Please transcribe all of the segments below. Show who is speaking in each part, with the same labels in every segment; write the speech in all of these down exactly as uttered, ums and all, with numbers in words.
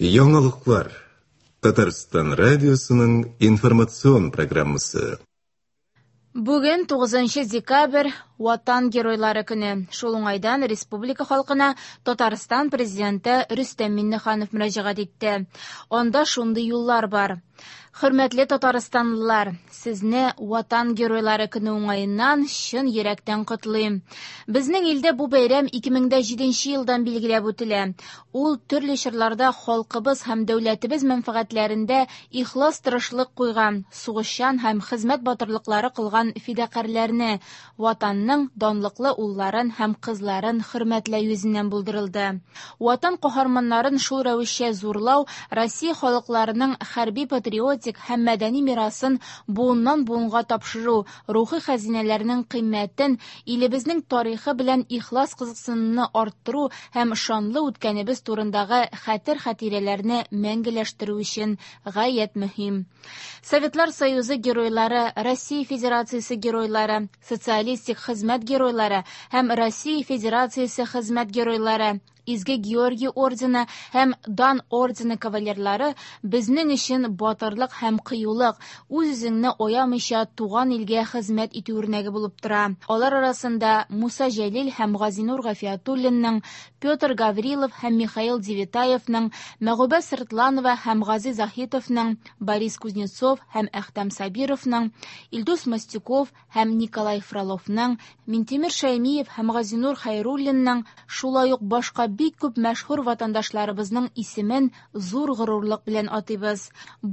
Speaker 1: Яңалыклар. Татарстан радиосының информацион программасы.
Speaker 2: Бүген тугызынчы декабрь Ватан геройлары көне. Шул уңайдан республика халкына Татарстан президенты Рөстәм Миңнеханов мөрәҗәгать итте. Анда шундый юллар бар. Хөрмәтле татарстанлылар, сезне Ватан геройлары көне уңаеннан чын йөрәктән котлыйм. Безнең илдә бу бәйрәм ике мең дә җиденче елдан билгеләп үтелә. Ул төрле чорларда халкыбыз һәм дәүләтебез мәнфәгатьләрендә ихлас тырышлык куйган, сугышчан һәм хезмәт батырлыклары кылган фидакарьләрне, Ватанның данлыклы улларын һәм кызларын хөрмәтләү йөзеннән булдырылды. Ватан каһарманнарын шул рәвешчә зурлау Россия халыкларының хәрби патриотик һәм мәдәни мирасын буыннан буынга тапшыру, рухи хәзинәләрнең кыйммәтен, илебезнең тарихы белән ихлас кызыксынуны арттыру һәм шанлы үткәнебез турындагы хәтер-хатирәләрне мәңгеләштерү өчен гаять мөһим. Советлар Союзы геройлары, Россия Федерациясе геройлары, социалистик хезмәт геройлары һәм Россия Федерациясе хезмәт геройлары, Изге Георгий ордены һәм Дан ордены кавалерлары безнең өчен батырлык һәм кыюлык, үз-үзеңне аямыйча туган илгә хезмәт итү үрнәге булып тора. Алар арасында Муса Җәлил һәм Газинур Гафиятуллинның, Петр Гаврилов һәм Михаил Девятаевның, Мәгүбә Сыртланова һәм Гази Заһитовның, Борис Кузнецов һәм Әхтәм Сабировның, Илдус Мостюков һәм Николай Фроловның, Минтимер Шәймиев һәм Газинур Хәйруллинның, шулай ук башка бик күп мәшһүр ватандашларыбызның исемен зур горурлык белән атыйбыз.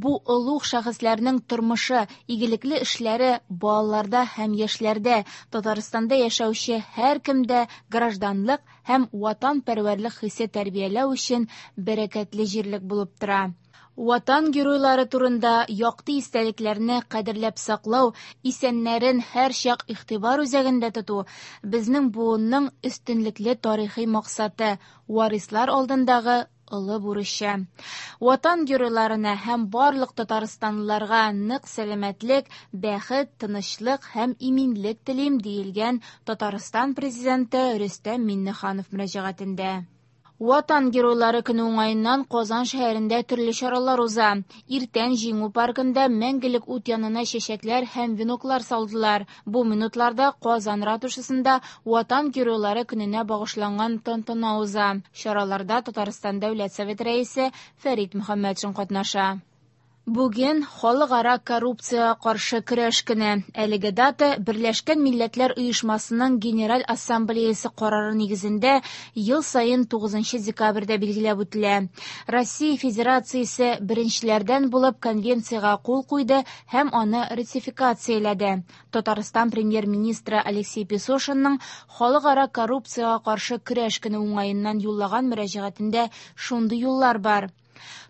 Speaker 2: Бу олуг шәхесләрнең тормышы, игелекле эшләре балаларда һәм яшьләрдә, Татарстанда яшәүче һәркемдә гражданлык һәм ватанпәрвәрлек хисе тәрбияләү өчен бәрәкәтле җирлек булып тора. Ватан геройлары турында якты истәлекләрне кадерләп саклау, исәннәрен һәр чак игътибар үзәгендә тоту безнең буынның өстенлекле тарихи максаты, варислар алдындагы олы бурычы. Ватан геройларына һәм барлык татарстанлыларга нык сәламәтлек, бәхет, тынычлык һәм иминлек телим, диелгән Татарстан президенты Рөстәм Миңнеханов мөрәҗәгатендә. Ватан геройлары көне уңаеннан Казан шәһәрендә төрле чаралар уза. Иртән Җиңү паркында мәңгелек ут янына чәчәкләр һәм веноклар салдылар. Бу минутларда Казан ратушасында Ватан геройлары көненә багышланган тантана уза. Чараларда Татарстан Дәүләт Советы рәисе Фәрит Мөхәммәтшин катнаша. Бүген халыкара коррупциягә каршы көрәш көне. Әлеге дата Берләшкән Милләтләр Оешмасының Генераль Ассамблеясы карары нигезендә ел саен тугызынчы декабрьдә билгеләп үтелә. Россия Федерациясе беренчеләрдән булып конвенциягә кул куйды һәм аны ратификацияләде. Татарстан премьер-министры Алексей Песошинның халыкара коррупциягә каршы көрәш көне уңаеннан юллаган мөрәҗәгатендә шундый юллар бар.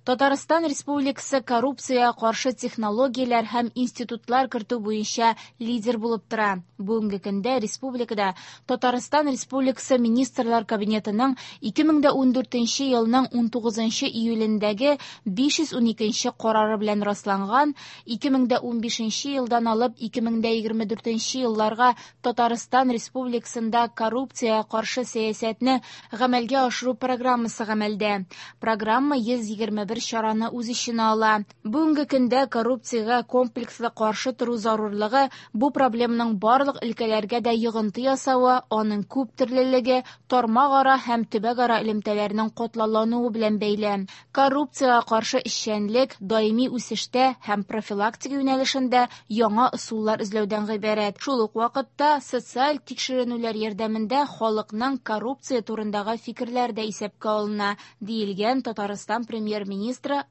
Speaker 2: Татарстан Республикасы коррупциягә каршы технологияләр һәм институтлар кертү буенча лидер булып тора. Бүгенге көндә республикада Татарстан Республикасы Министрлар Кабинетының ике мең дә ундүртенче елның унтугызынчы июлендәге биш йөз уникенче карары белән расланган ике мең дә унбишенче елдан алып ике мең дә егерме дүртенче елларга Татарстан Республикасында коррупциягә каршы сәясәтне гамәлгә ашыру программасы гамәлдә. Программа йөз егерме бер чараны үз эченә ала. Бүгенге көндә коррупциягә комплекслы каршы тору зарурлыгы бу проблеманың барлык өлкәләргә дә йогынты ясавы, аның күп төрлелеге, тармак-ара һәм төбәк-ара элемтәләрнең катлаулануы белән бәйле. Коррупциягә каршы эшчәнлек даими үсештә һәм профилактика юнәлешендә яңа ысуллар эзләүдән гыйбарәт. Шул ук вакытта социаль тикшеренүләр ярдәмендә халыкның коррупция турындагы фикерләре дә исәпкә алына, диелгән Татарстан премьер-министры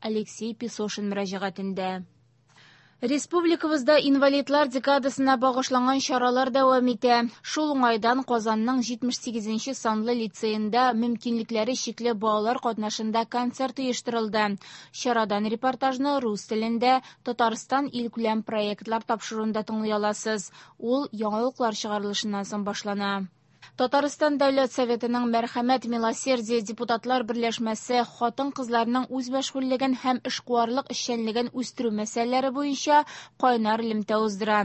Speaker 2: Алексей Песошин мөрәҗәгатендә. Республикабызда инвалидлар декадасына багышланган чаралар дәвам итә. Шул уңайдан Казанның җитмеш сигезенче санлы лицеенда мөмкинлекләре чикле балалар катнашында концерт оештырылды. Чарадан репортажны рус телендә Татарстан илкүләм проектлар тапшыруында тыңлый аласыз. Ул яңалыклар чыгарылышыннан соң башлана. Татарстан Дәүләт Советының Мәрхәмәт Милосердие депутатлар берләшмәсе хатын-кызларның үзмәшгульлеген һәм эшкуарлык эшчәнлеген үстерү мәсьәләләре буенча кайнар элемтә уздыра.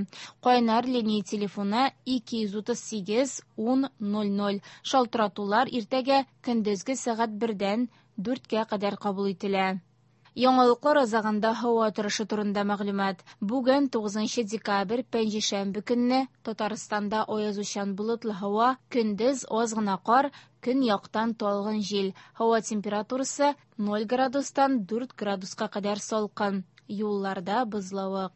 Speaker 2: Кайнар линия телефоны ике йөз утыз сигез ун ноль ноль. Шалтыратулар иртәгә көндезге сәгать бердән дүрткә кадәр кабул ителә. Яңалыклар азагында һава торышы турында мәгълүмат. Бүген тугызынчы декабрь, пәнҗешәмбе көнне Татарстанда аязучан болытлы һава, көндез аз гына кар, көньяктан талгын җил. Һава температурасы ноль градустан дүрт градуска кадәр салкын. Юлларда бозлавык.